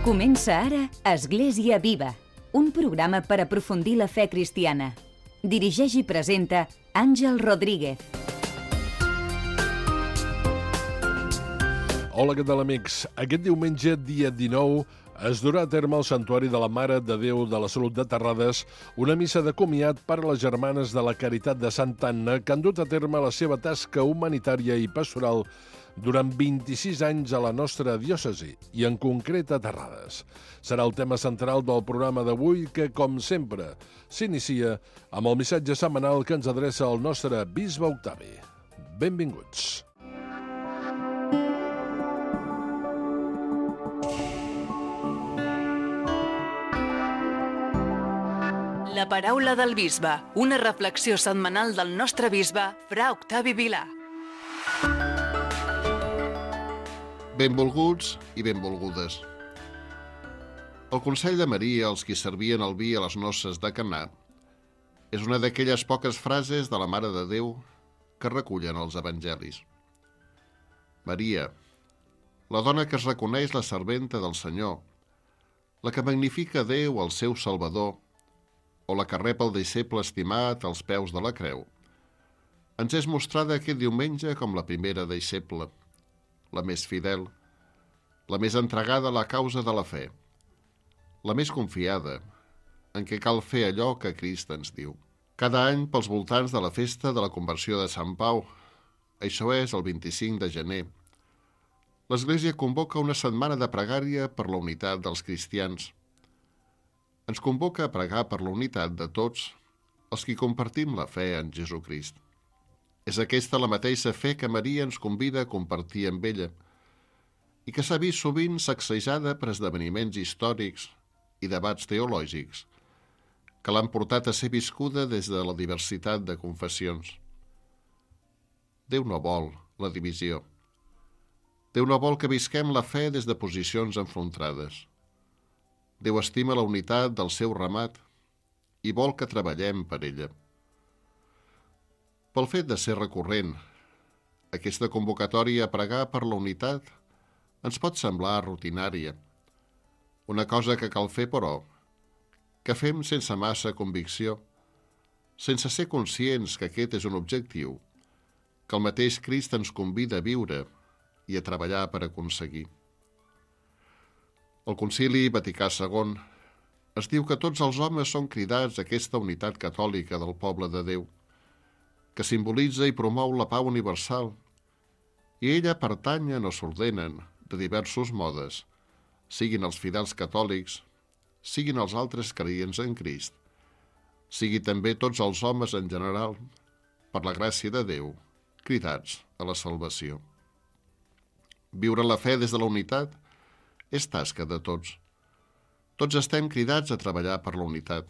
Comença ara Església Viva, un programa per aprofundir la fe cristiana. Dirigeix i presenta Àngel Rodríguez. Hola, què tal, amics? Aquest diumenge, dia 19, es durà a terme al Santuari de la Mare de Déu de la Salut de Terrades una missa de comiat per a les germanes de la Caritat de Santa Anna que han dut a terme la seva tasca humanitària i pastoral durant 26 anys a la nostra diòcesi, i en concret a Terrades. Serà el tema central del programa d'avui que, com sempre, s'inicia amb el missatge setmanal que ens adreça el nostre bisbe Octavi. Benvinguts. La paraula del bisbe, una reflexió setmanal del nostre bisbe, fra Octavi Vilà. Benvolguts i benvolgudes. El consell de Maria als qui servien el vi a les noces de Caná és una d'aquelles poques frases de la Mare de Déu que recullen els evangelis. Maria, la dona que es reconeix la serventa del Senyor, la que magnifica Déu, el seu Salvador, o la que rep el deixeble estimat als peus de la creu, ens és mostrada aquest diumenge com la primera deixeble, la més fidel, la més entregada a la causa de la fe, la més confiada, en què cal fer allò que Crist ens diu. Cada any, pels voltants de la festa de la conversió de Sant Pau, això és el 25 de gener, l'Església convoca una setmana de pregària per la unitat dels cristians. Ens convoca a pregar per la unitat de tots els qui compartim la fe en Jesucrist. És aquesta la mateixa fe que Maria ens convida a compartir amb ella i que s'ha vist sovint sacsejada per esdeveniments històrics i debats teològics que l'han portat a ser viscuda des de la diversitat de confessions. Déu no vol la divisió. Déu no vol que visquem la fe des de posicions enfrontades. Déu estima la unitat del seu ramat i vol que treballem per ella. Pel fet de ser recurrent, aquesta convocatòria a pregar per la unitat ens pot semblar rutinària, una cosa que cal fer, però, que fem sense massa convicció, sense ser conscients que aquest és un objectiu que el mateix Crist ens convida a viure i a treballar per aconseguir. El Concili Vaticà II es diu que tots els homes són cridats a aquesta unitat catòlica del poble de Déu, que simbolitza i promou la pau universal, i ella pertanyen o s'ordenen de diversos modes, siguin els fidels catòlics, siguin els altres creients en Crist, sigui també tots els homes en general, per la gràcia de Déu, cridats a la salvació. Viure la fe des de la unitat és tasca de tots. Tots estem cridats a treballar per la unitat.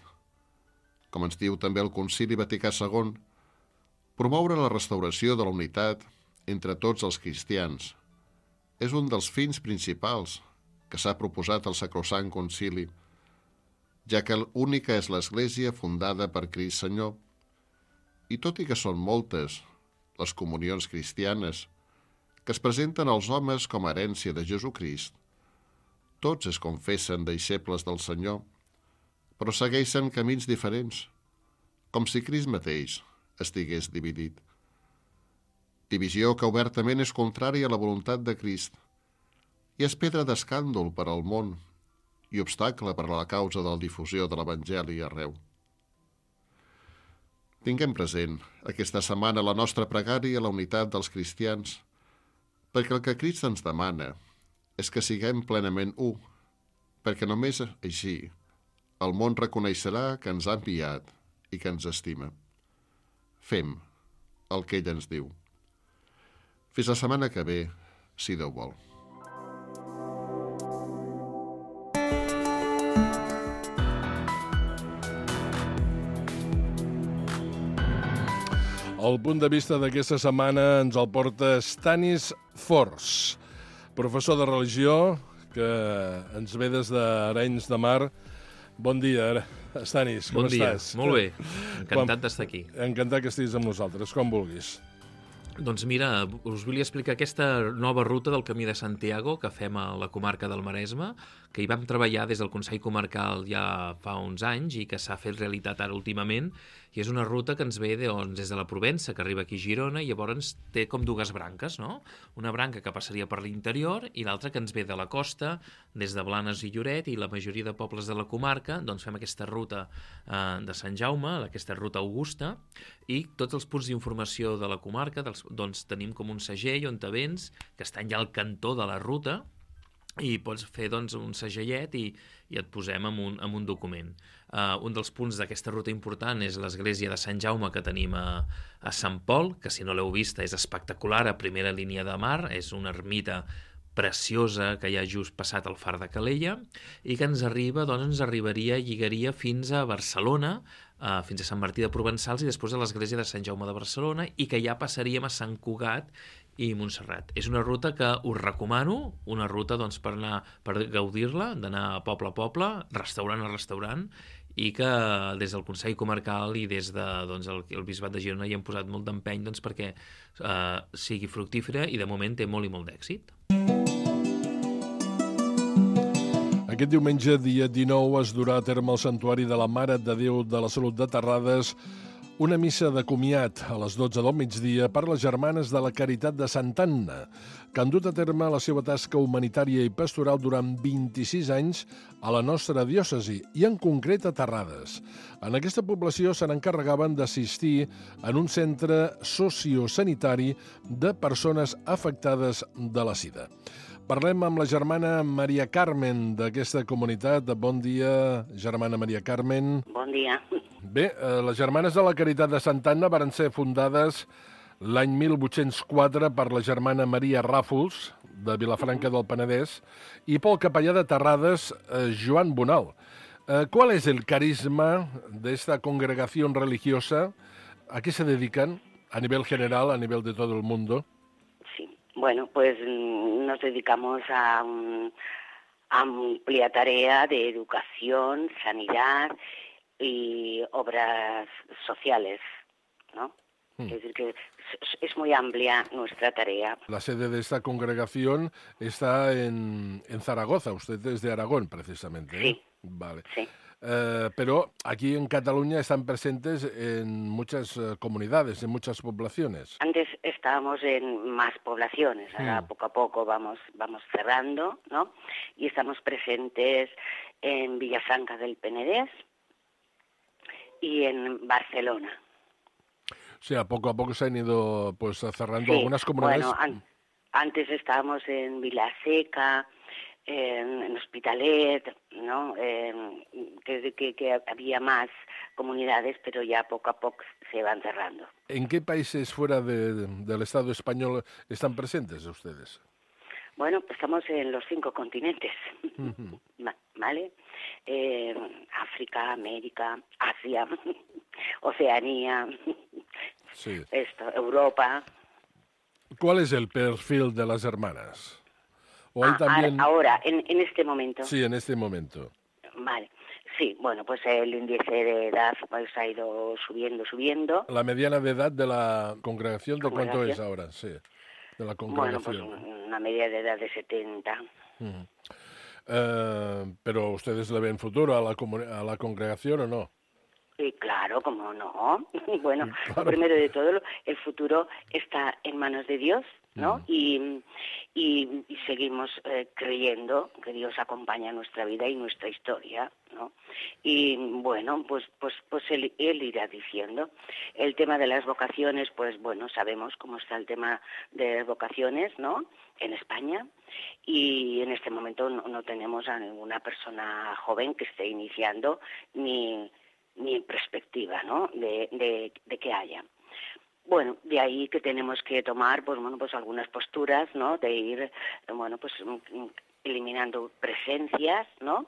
Com ens diu també el Concili Vaticà II, promoure la restauració de la unitat entre tots els cristians és un dels fins principals que s'ha proposat al Sacrosant Concili, ja que l'única és l'Església fundada per Crist Senyor, i tot i que són moltes les comunions cristianes que es presenten als homes com a herència de Jesucrist, tots es confessen deixebles del Senyor, però segueixen camins diferents, com si Crist mateix estigués dividit. Divisió que obertament és contrària a la voluntat de Crist i és pedra d'escàndol per al món i obstacle per a la causa de la difusió de l'Evangeli arreu. Tinguem present aquesta setmana la nostra pregària a la unitat dels cristians, perquè el que Crist ens demana és que siguem plenament u, perquè només així el món reconeixerà que ens ha enviat i que ens estima. Fem el que ell ens diu. Fins la setmana que ve, si Déu vol. El punt de vista d'aquesta setmana ens el porta Stanis Fors, professor de religió que ens ve des d'Arenys de Mar. Bon dia, Stanis, com estàs? Bon dia, molt bé. Encantat d'estar aquí. Encantat que estiguis amb nosaltres, com vulguis. Doncs mira, us volia explicar aquesta nova ruta del Camí de Santiago que fem a la comarca del Maresme, que hi vam treballar des del Consell Comarcal ja fa uns anys i que s'ha fet realitat ara últimament, i és una ruta que ens ve des de la Provença, que arriba aquí a Girona, i llavors té com dues branques, no? Una branca que passaria per l'interior i l'altra que ens ve de la costa, des de Blanes i Lloret, i la majoria de pobles de la comarca, doncs fem aquesta ruta de Sant Jaume, aquesta ruta augusta, i tots els punts d'informació de la comarca, doncs tenim com un segell on te vens, que estan ja al cantó de la ruta, i pots fer doncs, un segellet i et posem en un document. Un dels punts d'aquesta ruta important és l'església de Sant Jaume que tenim a Sant Pol, que si no l'heu vista és espectacular, a primera línia de mar, és una ermita preciosa que hi ha just passat al far de Calella i que ens lligaria fins a Barcelona, fins a Sant Martí de Provençals i després a l'església de Sant Jaume de Barcelona, i que ja passaríem a Sant Cugat i Montserrat. És una ruta que us recomano, una ruta doncs, per gaudir-la, d'anar a poble, restaurant a restaurant, i que des del Consell Comarcal i des de el Bisbat de Girona hi hem posat molt d'empeny perquè sigui fructífera, i de moment té molt i molt d'èxit. Aquest diumenge, dia 19, es durà a terme al Santuari de la Mare de Déu de la Salut de Terrades una missa de comiat a les 12 del migdia per les Germanes de la Caritat de Santa Anna, que han dut a terme la seva tasca humanitària i pastoral durant 26 anys a la nostra diòcesi, i en concret a Terrades. En aquesta població se n'encarregaven d'assistir en un centre sociosanitari de persones afectades de la sida. Parlem amb la germana Maria Carmen d'aquesta comunitat. Bon dia, germana Maria Carmen. Bon dia. Bé, les Germanes de la Caritat de Santa Anna varen ser fundades l'any 1804 per la germana Maria Ràfols, de Vilafranca del Penedès, i pel capellà de Terrades, Joan Bonal. ¿Cuál es el carisma de esta congregación religiosa? ¿A qué se dedican a nivel general, a nivel de todo el mundo? Bueno, pues nos dedicamos a amplia tarea de educación, sanidad y obras sociales, ¿no? Es decir, que es muy amplia nuestra tarea. La sede de esta congregación está en Zaragoza. Usted es de Aragón, precisamente, ¿eh? Sí. Vale. Sí. Pero aquí en Cataluña están presentes en muchas comunidades, en muchas poblaciones. Antes estábamos en más poblaciones, ahora poco a poco vamos cerrando, ¿no? Y estamos presentes en Vilafranca del Penedès y en Barcelona. O sea, poco a poco se han ido pues cerrando, sí, algunas comunidades. Bueno, antes estábamos en Vilaseca, en Hospitalet, ¿no? Que había más comunidades, pero ya poco a poco se van cerrando. ¿En qué países fuera del Estado español están presentes ustedes? Bueno, estamos en los 5 continentes, ¿vale? África, América, Asia, Oceanía, sí. Europa. ¿Cuál es el perfil de las hermanas? ¿O hay también... Ahora, en este momento. Sí, en este momento. Vale. Sí, bueno, pues el índice de edad pues ha ido subiendo. La mediana de edad de la congregación, ¿de cuánto es ahora? Sí, de la congregación. Bueno, pues una media de edad de 70. ¿Pero ustedes le ven futuro a la congregación o no? Sí, claro, cómo no. Bueno, claro. Primero de todo, el futuro está en manos de Dios, ¿no? Y seguimos creyendo que Dios acompaña nuestra vida y nuestra historia, ¿no? Y bueno, pues él irá diciendo. El tema de las vocaciones, pues bueno, sabemos cómo está el tema de las vocaciones, ¿no? En España, y en este momento no tenemos a ninguna persona joven que esté iniciando ni en perspectiva, ¿no? de que haya. Bueno, de ahí que tenemos que tomar, pues algunas posturas, ¿no? De ir, eliminando presencias, ¿no?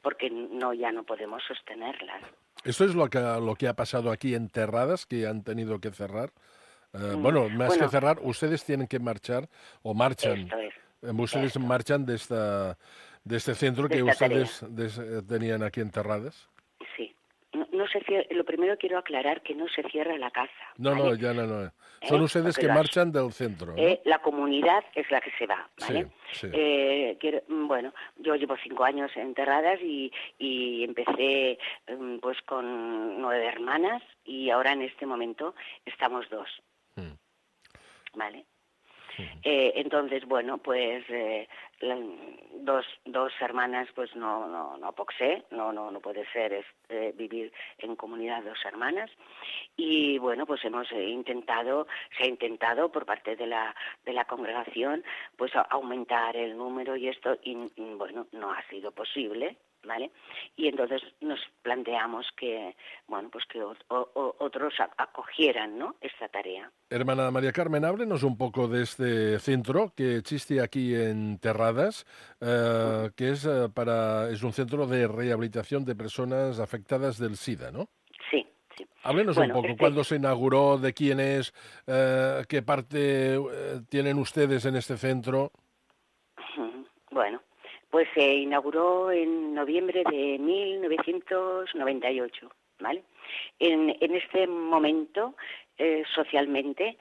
Porque ya no podemos sostenerlas. ¿Esto es lo que ha pasado aquí en Terradas, que han tenido que cerrar? Que cerrar, ustedes tienen que marchar, o marchan. Esto es. Ustedes marchan de este centro que ustedes tenían aquí en Terradas. Sí. no se cierra, lo primero quiero aclarar que no se cierra la casa. No, ¿vale? no, ya no. Son ustedes Porque que marchan del centro, ¿no? la comunidad es la que se va, ¿vale? Sí. Bueno, yo llevo 5 años en Terradas y empecé pues con 9 hermanas y ahora en este momento estamos 2, ¿vale? Entonces, bueno, pues dos hermanas, pues no pot ser, no puede ser vivir en comunidad 2 hermanas. Y bueno, pues se ha intentado por parte de la congregación, pues aumentar el número y esto, y bueno, no ha sido posible, ¿vale? Y entonces nos planteamos que, bueno, pues que otros acogieran, ¿no?, esta tarea. Hermana María Carmen, háblenos un poco de este centro que existe aquí en Terradas, que es un centro de rehabilitación de personas afectadas del SIDA, ¿no? Sí. Háblenos un poco, ¿cuándo se inauguró, de quién es, qué parte tienen ustedes en este centro? Bueno, pues se inauguró en noviembre de 1998, ¿vale? En este momento, socialmente,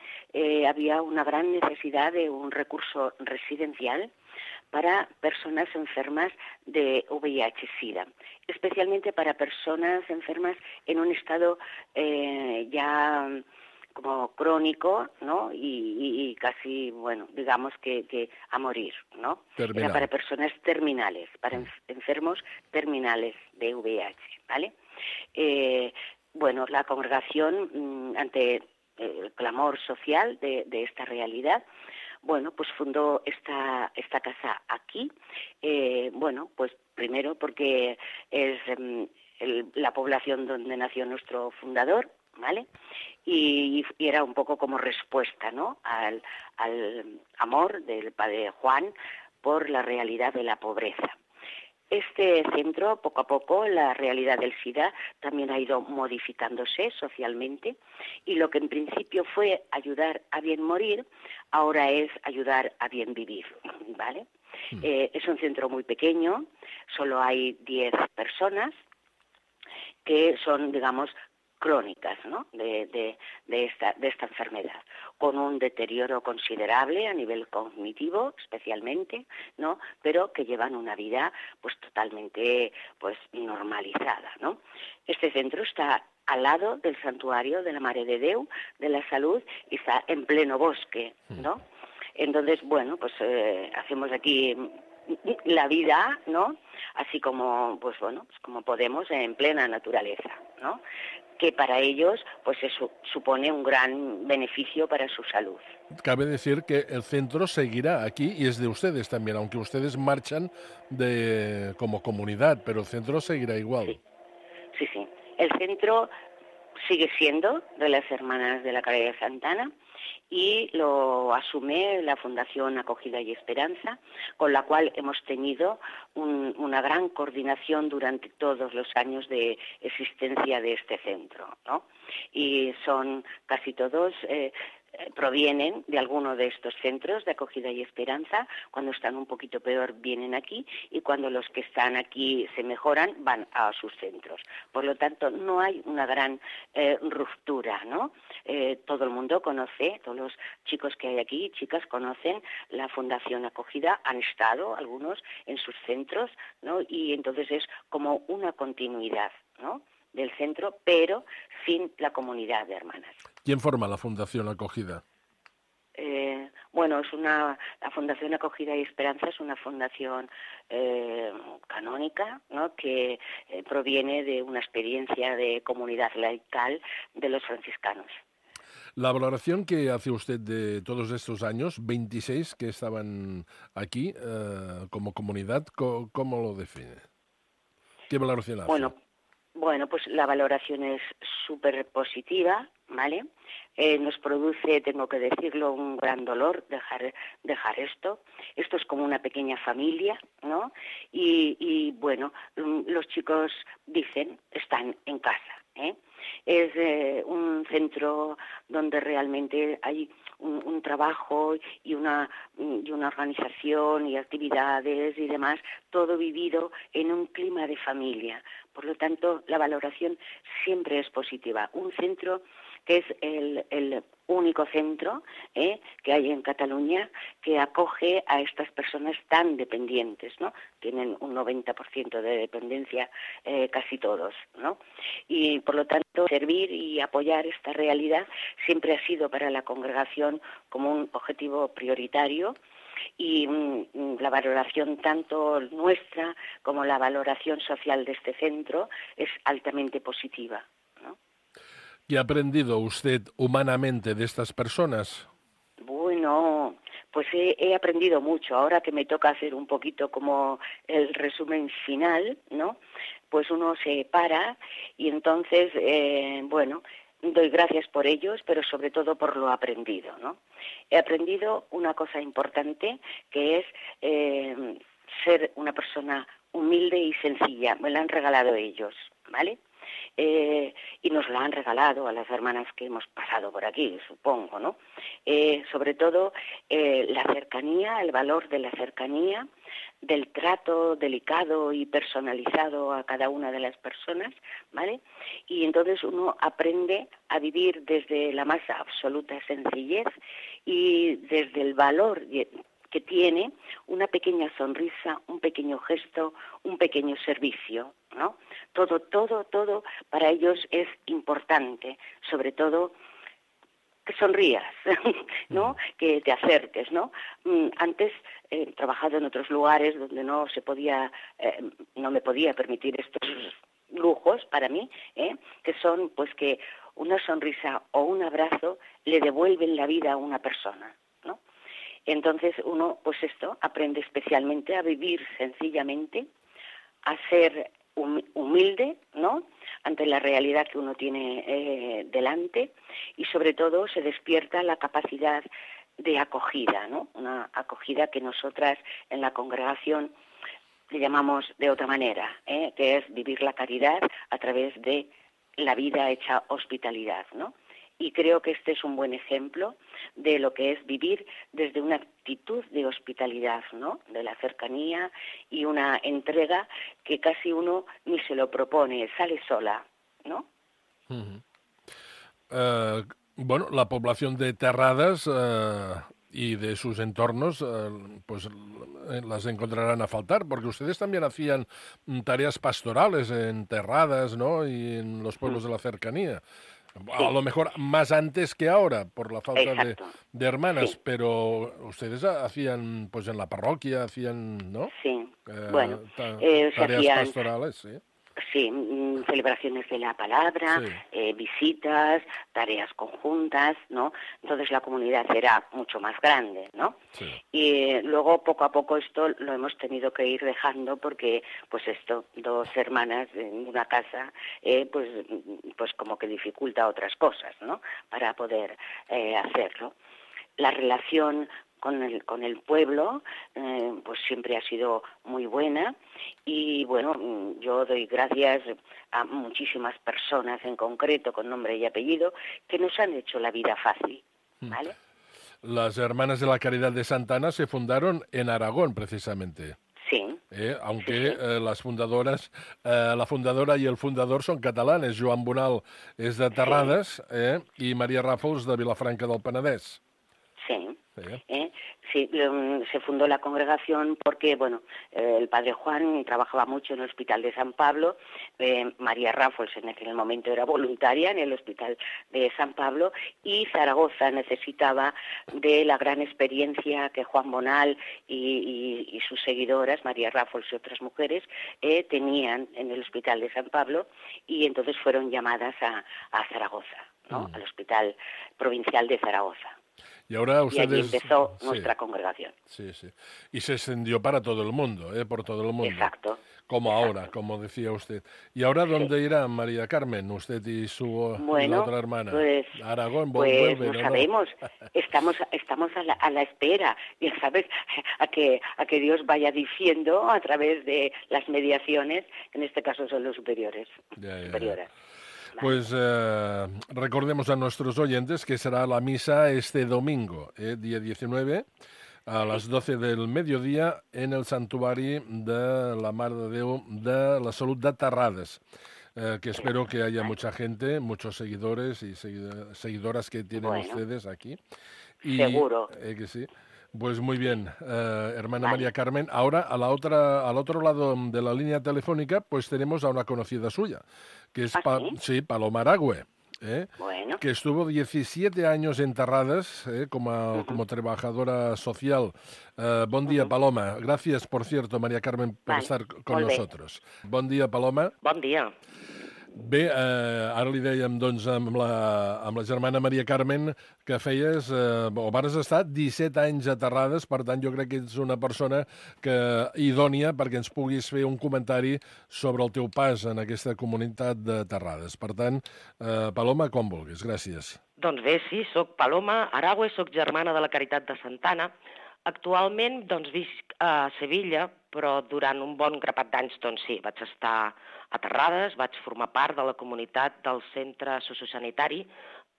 había una gran necesidad de un recurso residencial para personas enfermas de VIH-Sida, especialmente para personas enfermas en un estado ya como crónico, ¿no? Y casi, bueno, digamos que a morir, ¿no? Terminal. Era para personas terminales, para enfermos terminales de VIH, ¿vale? Bueno, la congregación, ante el clamor social de esta realidad, bueno, pues fundó esta casa aquí. Bueno, pues primero porque es la población donde nació nuestro fundador, ¿vale? Y era un poco como respuesta, ¿no?, al amor del padre Juan por la realidad de la pobreza. Este centro, poco a poco, la realidad del SIDA también ha ido modificándose socialmente, y lo que en principio fue ayudar a bien morir, ahora es ayudar a bien vivir, ¿vale? Es un centro muy pequeño, solo hay 10 personas que son, digamos, crónicas, ¿no?, de esta enfermedad, con un deterioro considerable a nivel cognitivo, especialmente, ¿no?, pero que llevan una vida pues totalmente pues normalizada, ¿no? Este centro está al lado del santuario de la Mare de Déu de la Salud y está en pleno bosque, ¿no? Entonces, bueno, pues hacemos aquí la vida, ¿no?, así como, pues bueno, pues como podemos, en plena naturaleza, ¿no?, que para ellos pues eso supone un gran beneficio para su salud. Cabe decir que el centro seguirá aquí y es de ustedes también, aunque ustedes marchan como comunidad, pero el centro seguirá igual. Sí. El centro sigue siendo de las Hermanas de la Caridad Santana y lo asume la Fundación Acogida y Esperanza, con la cual hemos tenido una gran coordinación durante todos los años de existencia de este centro, ¿no? Y son casi todos provienen de alguno de estos centros de acogida y esperanza. Cuando están un poquito peor vienen aquí, y cuando los que están aquí se mejoran van a sus centros. Por lo tanto, no hay una gran ruptura, ¿no? Todo el mundo conoce, todos los chicos que hay aquí, chicas, conocen la Fundación Acogida, han estado algunos en sus centros, ¿no? Y entonces es como una continuidad, ¿no?, del centro, pero sin la comunidad de hermanas. ¿Quién forma la Fundación Acogida? Bueno, la Fundación Acogida y Esperanza es una fundación canónica, ¿no?, que proviene de una experiencia de comunidad laical de los franciscanos. La valoración que hace usted de todos estos años, 26 que estaban aquí como comunidad, ¿cómo lo define? ¿Qué valoración hace? Bueno, pues la valoración es súper positiva, ¿vale? Nos produce, tengo que decirlo, un gran dolor dejar esto. Esto es como una pequeña familia, ¿no? Y bueno, los chicos dicen, están en casa, ¿eh? Es un centro donde realmente hay un trabajo y una organización y actividades y demás, todo vivido en un clima de familia. Por lo tanto, la valoración siempre es positiva. Un centro que es el único centro que hay en Cataluña que acoge a estas personas tan dependientes, ¿no? Tienen un 90% de dependencia casi todos, ¿no? Y por lo tanto, servir y apoyar esta realidad siempre ha sido para la congregación como un objetivo prioritario, y la valoración tanto nuestra como la valoración social de este centro es altamente positiva, ¿no? ¿Qué ha aprendido usted humanamente de estas personas? Bueno, pues he aprendido mucho. Ahora que me toca hacer un poquito como el resumen final, ¿no? Pues uno se para y entonces, doy gracias por ellos, pero sobre todo por lo aprendido, ¿no? He aprendido una cosa importante, que es ser una persona humilde y sencilla. Me la han regalado ellos, ¿vale? Y nos la han regalado a las hermanas que hemos pasado por aquí, supongo, ¿no? Sobre todo la cercanía, el valor de la cercanía, del trato delicado y personalizado a cada una de las personas, ¿vale? Y entonces uno aprende a vivir desde la más absoluta sencillez y desde el valor que tiene una pequeña sonrisa, un pequeño gesto, un pequeño servicio, ¿no? Todo para ellos es importante, sobre todo que sonrías, ¿no? Que te acerques, ¿no? Antes he trabajado en otros lugares donde no me podía permitir estos lujos para mí, que son pues que una sonrisa o un abrazo le devuelven la vida a una persona, ¿no? Entonces uno, pues aprende especialmente a vivir sencillamente, a ser humilde, ¿no?, ante la realidad que uno tiene delante, y sobre todo se despierta la capacidad de acogida, ¿no? Una acogida que nosotras en la congregación le llamamos de otra manera, que es vivir la caridad a través de la vida hecha hospitalidad, ¿no? Y creo que este es un buen ejemplo de lo que es vivir desde una actitud de hospitalidad, ¿no? De la cercanía y una entrega que casi uno ni se lo propone, sale sola, ¿no? La población de Terradas y de sus entornos, pues las encontrarán a faltar, porque ustedes también hacían tareas pastorales en Terradas, ¿no?, y en los pueblos de la cercanía. Sí. A lo mejor más antes que ahora, por la falta de hermanas, sí. Pero ustedes hacían, pues en la parroquia, hacían, ¿no? Sí, tareas pastorales, sí. Sí, celebraciones de la palabra, sí. Visitas, tareas conjuntas, ¿no? Entonces la comunidad era mucho más grande, ¿no? Sí. Y luego poco a poco esto lo hemos tenido que ir dejando porque, pues dos hermanas en una casa, pues como que dificulta otras cosas, ¿no?, para poder hacerlo. La relación con el pueblo, pues siempre ha sido muy buena, y bueno, yo doy gracias a muchísimas personas en concreto, con nombre y apellido, que nos han hecho la vida fácil, ¿vale? Las Hermanas de la Caridad de Santa Ana se fundaron en Aragón, precisamente. Sí. Aunque sí. Las fundadoras, la fundadora y el fundador son catalanes. Joan Bonal és de Terrades, y María Ràfols de Vilafranca del Penedès. Sí. Sí, se fundó la congregación porque, bueno, el padre Juan trabajaba mucho en el Hospital de San Pablo, María Ràfols en aquel momento era voluntaria en el Hospital de San Pablo, y Zaragoza necesitaba de la gran experiencia que Juan Bonal y sus seguidoras, María Ràfols y otras mujeres, tenían en el Hospital de San Pablo, y entonces fueron llamadas a Zaragoza, ¿no?, al Hospital Provincial de Zaragoza. Y ahora ustedes... Y allí empezó nuestra congregación. Sí. Y se extendió para todo el mundo, por todo el mundo. Exacto. Como ahora, como decía usted. ¿Y ahora dónde irá María Carmen, usted y la otra hermana? Pues, Aragón, pues no sabemos. Estamos a la espera, ya sabes, a que Dios vaya diciendo a través de las mediaciones, en este caso son los superiores. Ya. Superiores. Pues recordemos a nuestros oyentes que será la misa este domingo, día 19, a las 12 del mediodía, en el Santuari de la Mare de Déu de la Salut de Terrades. Que espero que haya mucha gente, muchos seguidores y seguidoras que tienen ustedes aquí. Y, seguro. Que sí. Pues muy bien, hermana María Carmen. Ahora, al otro lado de la línea telefónica, pues tenemos a una conocida suya, que es Paloma Aragüe, que estuvo 17 años en Terrades como trabajadora social. Bon dia, Paloma. Gracias, por cierto, María Carmen, por estar con nosotros. Bon dia, Paloma. Bon dia. Bé, ara li dèiem, doncs, amb la germana Maria Carmen que feies, o vas estar 17 anys a Terrades, per tant, jo crec que ets una persona idònia perquè ens puguis fer un comentari sobre el teu pas en aquesta comunitat de Terrades. Per tant, Paloma, com vulguis. Gràcies. Doncs bé, sí, soc Paloma Aragüe, soc germana de la Caritat de Santa Anna. Actualment, doncs, visc a Sevilla, però durant un bon grapat d'anys, doncs sí, vaig estar a Terrades, vaig formar part de la comunitat del centre sociosanitari,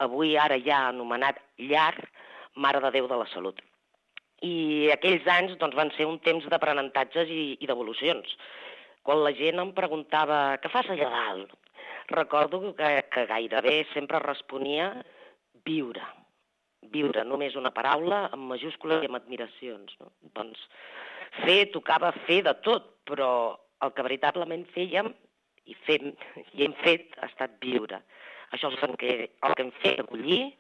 avui ara ja anomenat Llar Mare de Déu de la Salut. I aquells anys doncs, van ser un temps d'aprenentatges i d'evolucions. Quan la gent em preguntava què fas allà dalt, recordo que gairebé sempre responia viure. Viure, només una paraula amb majúscules i amb admiracions. No? Doncs tocava fer de tot, però el que veritablement fèiem i hem fet ha estat viure. Això és el que hem fet, acollir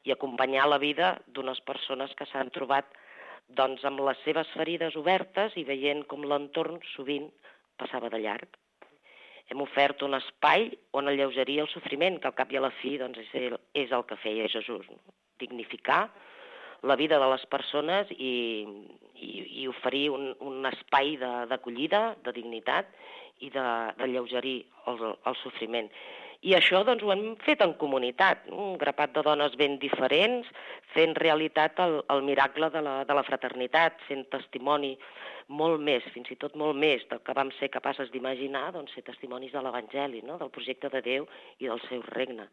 i acompanyar la vida d'unes persones que s'han trobat doncs, amb les seves ferides obertes i veient com l'entorn sovint passava de llarg. Hem ofert un espai on alleugerir el sofriment, que al cap i a la fi doncs, és el que feia Jesús. No? Dignificar la vida de les persones i oferir un espai d'acollida, de dignitat i d'alleugerir el sofriment. I això doncs, ho hem fet en comunitat, un grapat de dones ben diferents, fent realitat el miracle de la fraternitat, sent testimoni molt més, fins i tot molt més del que vam ser capaces d'imaginar, doncs, ser testimonis de l'Evangeli, no? Del projecte de Déu i del seu regne.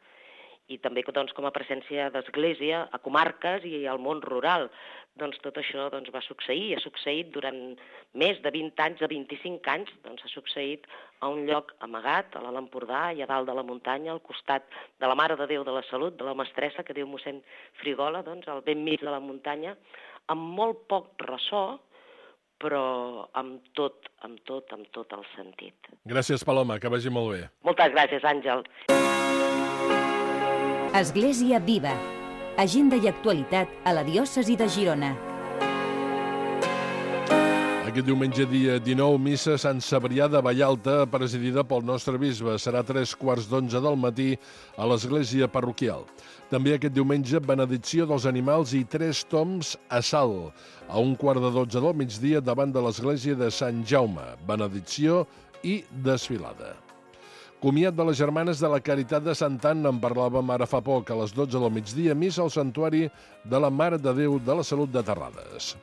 I també doncs, com a presència d'església a comarques i al món rural. Doncs tot això doncs, va succeir, ha succeït durant més de 20 anys, de 25 anys, doncs ha succeït a un lloc amagat, a l'Alt Empordà, i a dalt de la muntanya, al costat de la Mare de Déu de la Salut, de la mestressa, que diu mossèn Frigola, doncs, al ben mig de la muntanya, amb molt poc ressò, però amb tot el sentit. Gràcies, Paloma, que vagi molt bé. Moltes gràcies, Àngel. Església Viva. Agenda i actualitat a la diòcesi de Girona. Aquest diumenge, dia 19, missa a Sant Cebrià de Vallalta, presidida pel nostre bisbe. Serà 3:15 del matí a l'església parroquial. També aquest diumenge, benedicció dels animals i 3 tombs a Salt. A 11:45 del migdia, davant de l'església de Sant Jaume. Benedicció i desfilada. Comiat de les germanes de la Caritat de Santa Anna, en parlàvem ara fa poc, a les 12 del migdia, missa al Santuari de la Mare de Déu de la Salut de Terrades.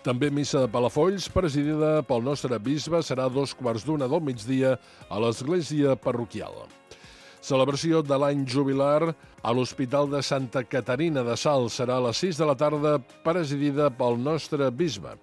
També missa de Palafolls, presidida pel nostre bisbe, serà a 2:15 del migdia a l'església parroquial. Celebració de l'any jubilar a l'Hospital de Santa Caterina de Salt serà a les 6 de la tarda, presidida pel nostre bisbe.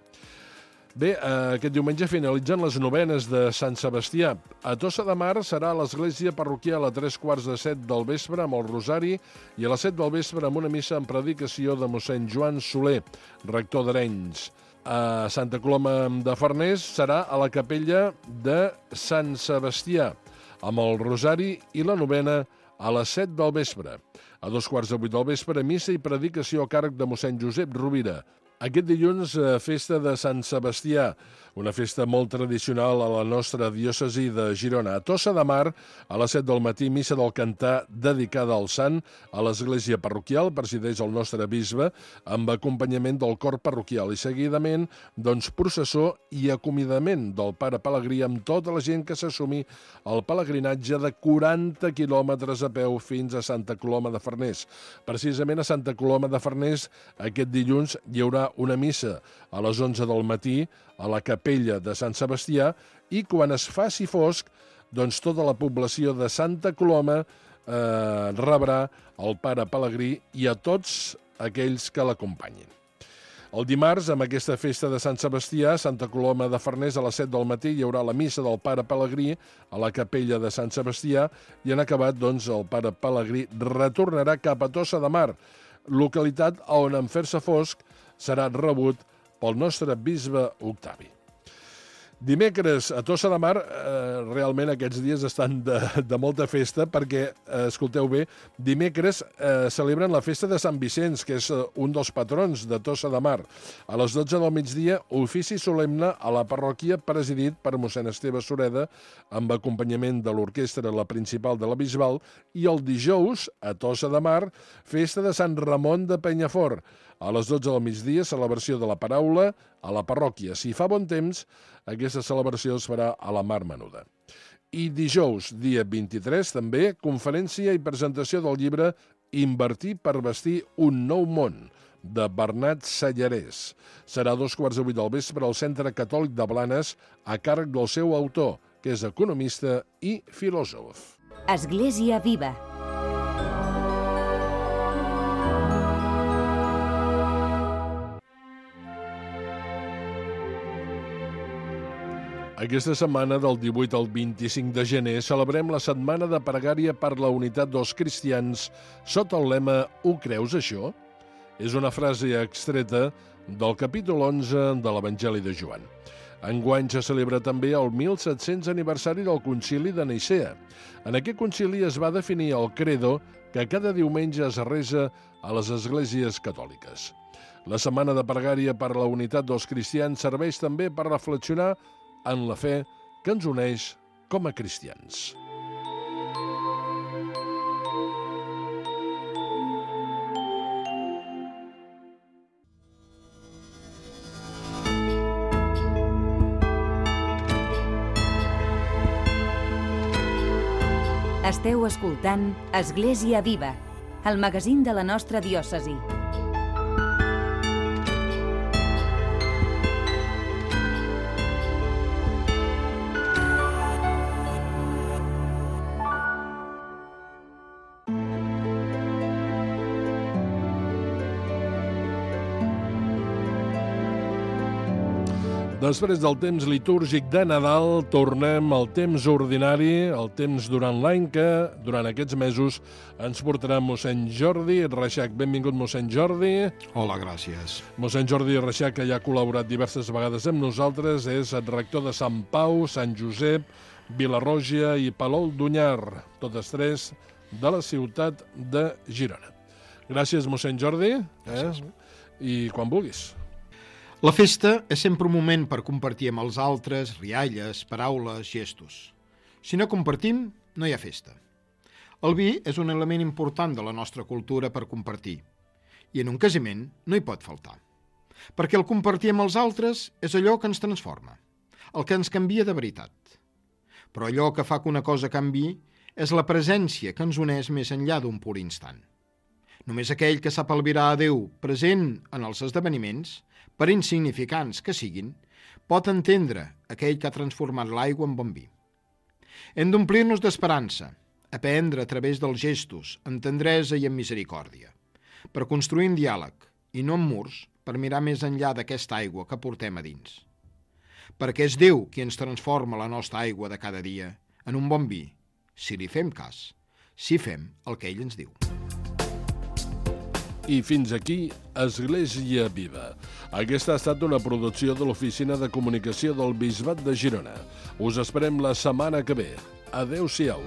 Bé, aquest diumenge finalitzen les novenes de Sant Sebastià. A Tossa de Mar serà a l'església parroquial a 3:15 del vespre amb el rosari i a les 7 del vespre amb una missa en predicació de mossèn Joan Soler, rector d'Arenys. A Santa Coloma de Farners serà a la capella de Sant Sebastià amb el rosari i la novena a les 7 del vespre. A 7:15 del vespre, missa i predicació a càrrec de mossèn Josep Rovira. Aquest dilluns, festa de Sant Sebastià, una festa molt tradicional a la nostra diòcesi de Girona. A Tossa de Mar, a les 7 del matí, missa del cantar dedicada al sant a l'església parroquial, presideix el nostre bisbe, amb acompanyament del cor parroquial i seguidament, doncs, processó i acomiadament del pare Pelegrí amb tota la gent que s'assumi al pelegrinatge de 40 quilòmetres a peu fins a Santa Coloma de Farners. Precisament a Santa Coloma de Farners, aquest dilluns hi haurà una missa a les 11 del matí a la capella de Sant Sebastià i quan es faci fosc, doncs tota la població de Santa Coloma rebrà el pare Pelegrí i a tots aquells que l'acompanyin. El dimarts, amb aquesta festa de Sant Sebastià, a Santa Coloma de Farners, a les 7 del matí, hi haurà la missa del pare Pelegrí a la capella de Sant Sebastià i en acabat, doncs, el pare Pelegrí retornarà cap a Tossa de Mar, localitat on en fer-se fosc serà rebut pel nostre bisbe Octavi. Dimecres a Tossa de Mar, realment aquests dies estan de molta festa perquè, escolteu bé, dimecres celebren la festa de Sant Vicenç, que és un dels patrons de Tossa de Mar. A les 12 del migdia, ofici solemne a la parròquia presidit per mossèn Esteve Sureda amb acompanyament de l'orquestra la principal de la Bisbal i el dijous, a Tossa de Mar, festa de Sant Ramon de Penyafort. A les 12 del migdia, celebració de la paraula a la parròquia. Si fa bon temps, aquesta celebració es farà a la Mar Menuda. I dijous, dia 23, també, conferència i presentació del llibre Invertir per vestir un nou món, de Bernat Sallarès. Serà a 2:15 del vespre al Centre Catòlic de Blanes, a càrrec del seu autor, que és economista i filòsof. Església Viva. Aquesta setmana, del 18 al 25 de gener, celebrem la Setmana de Pregària per la Unitat dels Cristians sota el lema «Ho creus, això?». És una frase extreta del capítol 11 de l'Evangeli de Joan. Enguany se celebra també el 1700 aniversari del Concili de Nicea. En aquest concili es va definir el credo que cada diumenge es resa a les esglésies catòliques. La Setmana de Pregària per la Unitat dels Cristians serveix també per reflexionar en la fe que ens uneix com a cristians. Esteu escoltant Església Viva, el magazín de la nostra diòcesi. Després del temps litúrgic de Nadal, tornem al temps ordinari, el temps durant l'any que, durant aquests mesos, ens portarà mossèn Jordi Reixac. Benvingut, mossèn Jordi. Hola, gràcies. Mossèn Jordi Reixac, que ja ha col·laborat diverses vegades amb nosaltres, és el rector de Sant Pau, Sant Josep, Vilarroja i Palol d'Onyar, totes tres de la ciutat de Girona. Gràcies, mossèn Jordi. Gràcies. I quan vulguis. La festa és sempre un moment per compartir amb els altres rialles, paraules, gestos. Si no compartim, no hi ha festa. El vi és un element important de la nostra cultura per compartir, i en un casament no hi pot faltar. Perquè el compartir amb els altres és allò que ens transforma, el que ens canvia de veritat. Però allò que fa que una cosa canviï és la presència que ens uneix més enllà d'un pur instant. Només aquell que sap albirar a Déu present en els esdeveniments, per insignificants que siguin, pot entendre aquell que ha transformat l'aigua en bon vi. Hem d'omplir-nos d'esperança, aprendre a través dels gestos, amb tendresa i amb misericòrdia, per construir un diàleg, i no amb murs, per mirar més enllà d'aquesta aigua que portem a dins. Perquè és Déu qui ens transforma la nostra aigua de cada dia en un bon vi, si li fem cas, si fem el que ell ens diu. I fins aquí, Església Viva. Aquesta ha estat una producció de l'Oficina de Comunicació del Bisbat de Girona. Us esperem la setmana que ve. Adéu-siau.